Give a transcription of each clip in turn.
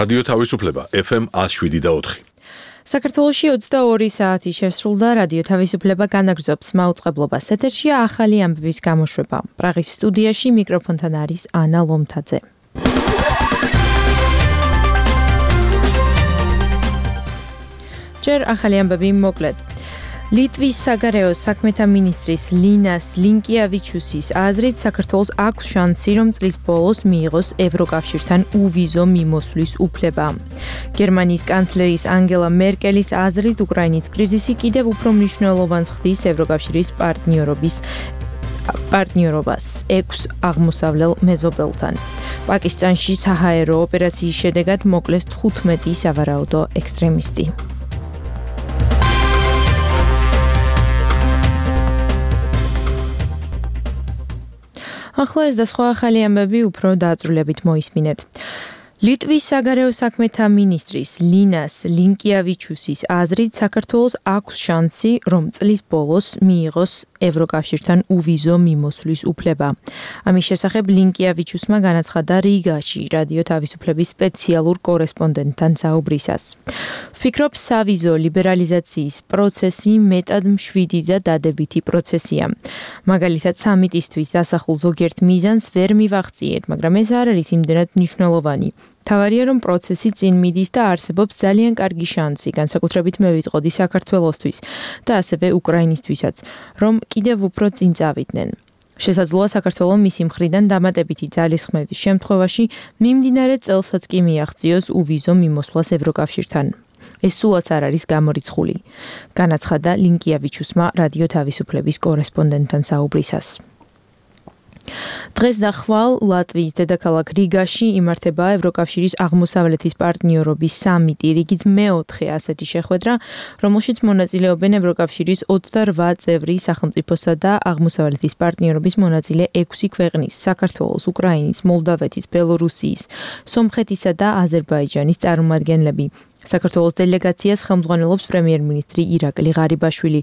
რადიო თავისუფლება FM 107.4. საქართველოში 22 საათი შესრულდა რადიო თავისუფლება განაგრძობს მაუწყებლობას. ეთერშია ახალი ამბების გამოშვება. პრაღის სტუდიაში მიკროფონთან არის ანა ლომთაძე. ჯერ ახალი ამბები მოკლედ. ლიტვის საგარეო საქმეთა მინისტრის ლინას ლინკიავიჩუსის აზრით საქართველოს აქვს შანსი, რომ წლის ბოლოს მიიღოს ევროკავშირთან უვიზო მიმოსვლის უფლება. გერმანიის კანცლერის ანგელა მერკელის აზრით უკრაინის კრიზისი კიდევ უფრო მნიშვნელოვანს ხდის ევროკავშირის პარტნიორობას 6 აღმოსავლელ მეზობელთან. პაკისტანში საჰაერო ოპერაციის შედეგად მოკლეს 15 სავარაუდო ექსტრემისტი. ახლა ეს და სხვა ახალი ამბები უფრო დაწვრილებით მოისმინეთ. ლიტვის საგარეო საქმეთა მინისტრის ლინას ლინკიავიჩუსის აზრით საქართველოს აქვს შანსი, რომ წლის ბოლოს მიიღოს ევროკავშირთან უვიზო მიმოსვლის უფლება. ამის შესახებ ლინკიავიჩუსმა განაცხადა რიგაში რადიო თავისუფლების სპეციალურ კორესპონდენტთან საუბრისას. ვფიქრობ, სავიზო ლიბერალიზაციის პროცესი მეტად მშვიდი და დადებითი პროცესია. მაგალითად, სამიტისთვის დასახულ ზოგიერთ მიზანს ვერ მივაღწიეთ, მაგრამ ეს არ არის იმდენად მნიშვნელოვანი. თავარია, რომ პროცესი წინ მიდის და არსებობს ძალიან კარგი შანსი, განსაკუთრებით მე ვიტყოდი საქართველოსთვის და ასევე უკრაინისთვისაც, რომ კიდევ უფრო წინ წავიდნენ. შესაძლოა საქართველო მისი მხრიდან დამატებითი ძალისხმევის შემთხვევაში მიმდინარე წელსაც კი მიაღწიოს უვიზო მიმოსვლას ევროკავშირთან. ეს სულაც არ არის გამორიცხული, განაცხადა ლინკიავიჩუსმა რადიო თავისუფლების კორესპონდენტთან საუბრისას. დღეს და ხვალ ლატვიის დედაქალაქ რიგაში იმართება ევროკავშირის აღმოსავლეთის პარტნიორობის სამიტი, რიგით მეოთხე ასეთი შეხვედრა, რომელშიც მონაწილეობენ ევროკავშირის 28 წევრი სახელმწიფოსა და აღმოსავლეთის პარტნიორობის მონაწილე 6 ქვეყნის: საქართველოს, უკრაინის, მოლდავეთის, ბელორუსიის, სომხეთისა და აზერბაიჯანის წარმომადგენლები. საქართველოს დელეგაციას ხელმძღვანელობს პრემიერ-მინისტრი ირაკლი ღარიბაშვილი.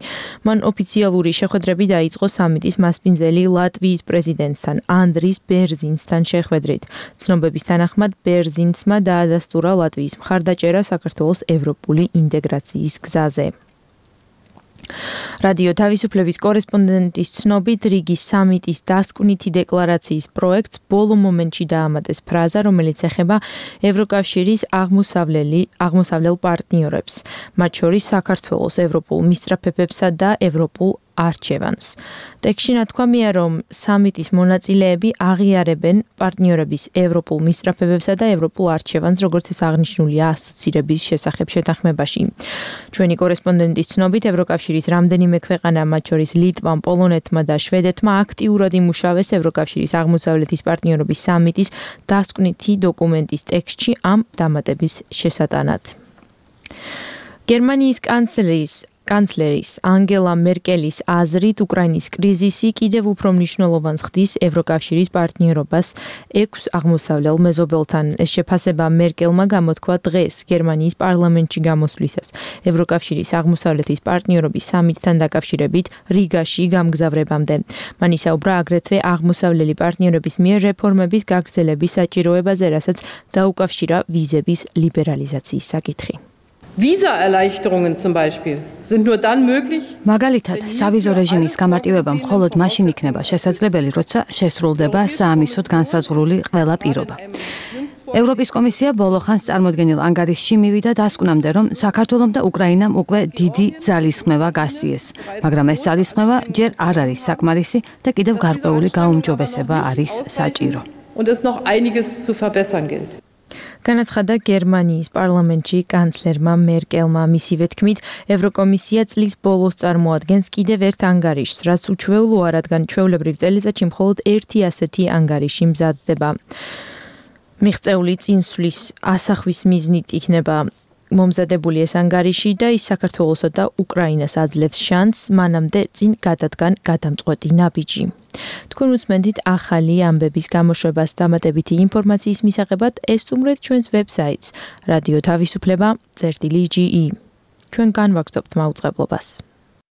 მან ოფიციალური შეხვედრები დაიწყო სამიტის მასპინძელი ლატვიის პრეზიდენტთან ანდრის ბერზინსთან შეხვედრით. ცნობების თანახმად ბერზინსმა დაადასტურა ლატვიის მხარდაჭერა საქართველოს ევროპული ინტეგრაციის გზაზე. რადიო თავისუფლების კორესპონდენტის ცნობით, რიგის სამიტის დასკვნითი დეკლარაციის პროექტს ბოლო მომენტში დაამატეს ფრაზა, რომელიც ეხება ევროკავშირის აღმოსავლელ პარტნიორებს, მათ შორის საქართველოს, ევროპულ მისწრაფებებსა და ევროპულ არჩევანს. ტექსტში ნათქვამია, რომ სამიტის მონაწილეები აღიარებენ პარტნიორების ევროპულ მისწრაფებებსა და ევროპულ არჩევანს, როგორც ეს აღნიშნულია ასოცირების შესახებ შეთანხმებაში. ჩვენი კორესპონდენტის ცნობით, ევროკავშირის რამდენიმე ქვეყანა, მათ შორის ლიტვამ, პოლონეთმა და შვედეთმა აქტიურად იმუშავეს ევროკავშირის აღმოსავლეთის პარტნიორობის სამიტის დასკვნითი დოკუმენტის ტექსტში ამ დამატების შესატანად. გერმანიის კანცლერის ანგელა მერკელის აზრით უკრაინის კრიზისი კიდევ უფრო მნიშვნელოვანს ხდის ევროკავშირის პარტნიორობას 6 აღმოსავლელ მეზობელთან. ეს შეფასება მერკელმა გამოთქვა დღეს გერმანიის პარლამენტში გამოსვლისას ევროკავშირის აღმოსავლეთის პარტნიორობის სამიტთან დაკავშირებით რიგაში გამგზავრებამდე. მან ისაუბრა აგრეთვე აღმოსავლელი პარტნიორების მიერ რეფორმების გაგრძელების საჭიროებაზე, რასაც დაუკავშირა ვიზების ლიბერალიზაციის საკითხი. Visa-Erleichterungen zum Beispiel sind nur dann möglich. მაგალითად, სავიზო რეჟიმის გამარტივება მხოლოდ მაშინ იქნება შესაძლებელი, როცა შესრულდება საამისოდ განსაზღვრული ყველა პირობა. ევროპის კომისია ბოლო ხანს წარმოდგენილ ანგარიშში მივიდა დასკვნამდე, რომ საქართველომ და უკრაინამ უკვე დიდი ძალისხმევა გასწიეს, მაგრამ ეს ძალისხმევა ჯერ არ არის საკმარისი და კიდევ გარკვეული გაუმჯობესება არის საჭირო. Und es noch einiges zu verbessern gilt. განაცხადა გერმანიის პარლამენტში კანცლერმა მერკელმა. მისივე თქმით, ევროკომისია წლის ბოლოს წარმოადგენს კიდევ ერთ ანგარიშს, რაც უჩვეულოა, რადგან ჩვეულებრივ წელიწადში მხოლოდ ერთი ასეთი ანგარიში მზადდება. მიღწეული წინსვლის ასახვის მიზნით იქნება მომზადებული ეს ანგარიში და ის საქართველოსა და უკრაინას აძლევს შანსს მანამდე წინ გადადგან გადამწყვეტი ნაბიჯი. თქვენ უსმენთ ახალი ამბების გამოშვებას. დამატებითი ინფორმაციის მისაღებად ესტუმრეთ ჩვენს ვებსაიტს radio-tavisupleba.ge. ჩვენ განვაგრძობთ მაუწყებლობას.